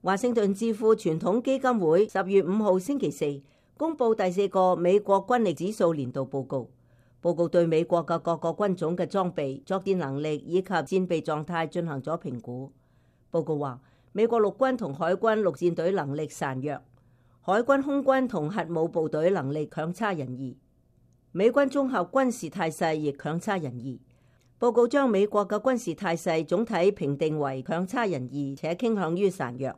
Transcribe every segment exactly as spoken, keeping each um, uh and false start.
華盛頓智庫傳統基金會十月五號星期四公布第四個美國軍力指數年度報告。報告對美國嘅各個軍種嘅裝備、作戰能力以及戰備狀態進行咗評估。報告話，美國陸軍同海軍陸戰隊能力孱弱，海軍空軍同核武部隊能力強差人意，美軍綜合軍事態勢亦強差人意。報告將美國嘅軍事態勢總體評定為強差人意，且傾向於孱弱，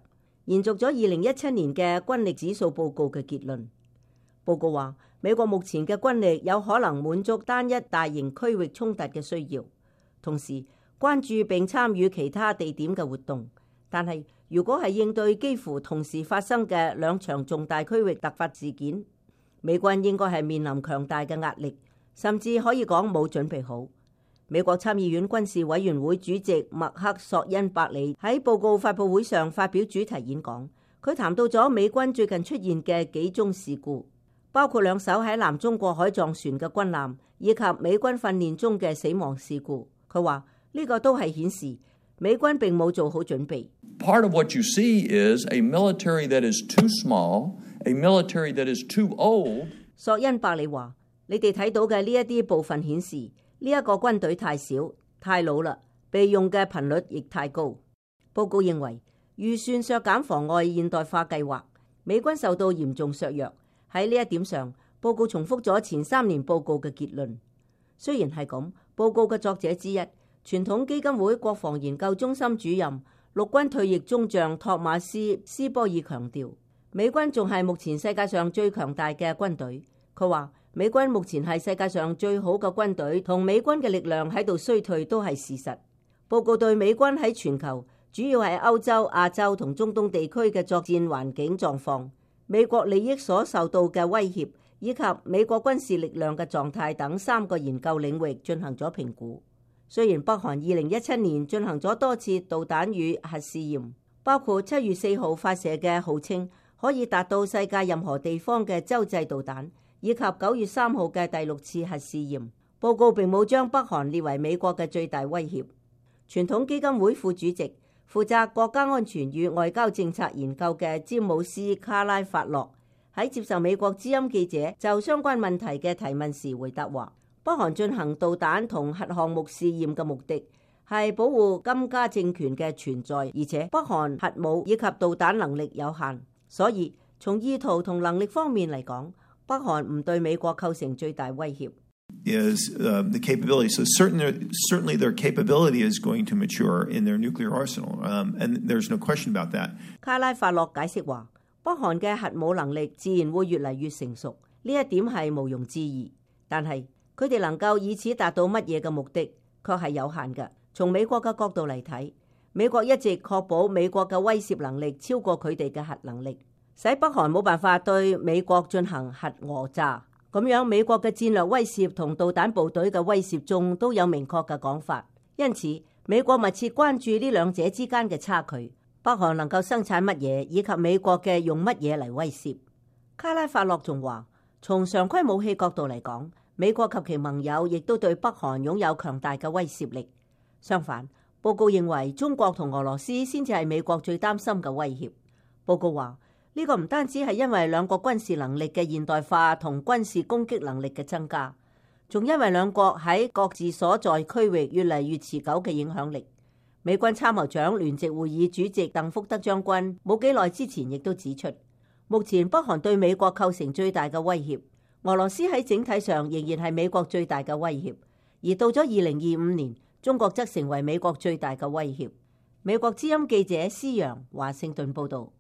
延續咗二零一七年嘅軍力指數報告嘅結論。報告話，美國目前嘅軍力有可能滿足單一大型區域衝突嘅需要，同時關注並參與其他地點嘅活動。但係如果係應對幾乎同時發生嘅兩場重大區域突發事件，美軍應該係面臨強大嘅壓力，甚至可以講冇準備好。美國參議院軍事委員會主席麥克索恩伯里喺報告發佈會上發表主題演講，佢談到咗美軍最近出現嘅幾宗事故，包括兩艘喺南中國海撞船嘅軍艦，以及美軍訓練中嘅死亡事故。佢話呢個都係顯示美軍並冇做好準備。Part of what you see is a military that is too small, a military that is too old. 索恩伯里話：你哋睇到嘅呢一啲部分顯示呢一個軍隊太少、太老啦，備用嘅頻率亦太高。報告認為預算削減妨礙現代化計劃，美軍受到嚴重削弱。喺呢一點上，報告重複咗前三年報告嘅結論。雖然係咁，報告嘅作者之一，傳統基金會國防研究中心主任陸軍退役中將托馬斯斯波爾強調，美軍仲係目前世界上最強大嘅軍隊。佢話美軍目前係世界上最好嘅軍隊，同美軍嘅力量喺度衰退都係事實。報告對美軍喺全球，主要係歐洲、亞洲同中東地區嘅作戰環境狀況，美國利益所受到嘅威脅，以及美國軍事力量嘅狀態等三個研究領域進行咗評估。雖然北韓二零一七年進行咗多次導彈與核試驗，包括七月四號發射嘅號稱可以達到世界任何地方嘅洲際導彈，以及九月三號嘅第六次核試驗，報告並冇將北韓列為美國嘅最大威脅。傳統基金會副主席、負責國家安全與外交政策研究嘅詹姆斯卡拉法洛喺接受美國之音記者就相關問題嘅提問時回答話：北韓進行導彈同核項目試驗嘅目的係保護金家政權嘅存在，而且北韓核武以及導彈能力有限，所以從意圖同能力方面嚟講，北韓唔對美國構成最大威脅。Is uh, the capability. So certainly, certainly their capability is going to mature in their nuclear arsenal, um, and there's no question about that. 卡拉法洛解釋話，北韓嘅核武能力自然會越嚟越成熟，呢一點係毋庸置疑。但係佢哋能夠以此達到乜嘢嘅目的，確係有限嘅。從美國嘅角度嚟睇，美國一直確保美國嘅威懾能力超過佢哋嘅核能力，使北韓冇辦法對美國進行核訛詐。咁樣，美國嘅戰略威懾同導彈部隊嘅威懾中都有明確嘅講法，因此美國密切關注呢兩者之間嘅差距，北韓能夠生產乜嘢，以及美國嘅用乜嘢嚟威懾。卡拉法洛仲話，從常規武器角度嚟講，美國及其盟友亦都對北韓擁有強大嘅威懾力。相反，報告認為中國同俄羅斯先至係美國最擔心嘅威脅。報告話，呢個唔單止係因為兩國軍事能力嘅現代化同軍事攻擊能力嘅增加，仲因為兩國喺各自所在區域越嚟越持久嘅影響力。美軍參謀長聯席會議主席鄧福德將軍冇幾耐之前亦都指出，目前北韓對美國構成最大嘅威脅，俄羅斯喺整體上仍然係美國最大嘅威脅，而到咗二零二五年，中國則成為美國最大嘅威脅。美國之音記者施洋華盛頓報道。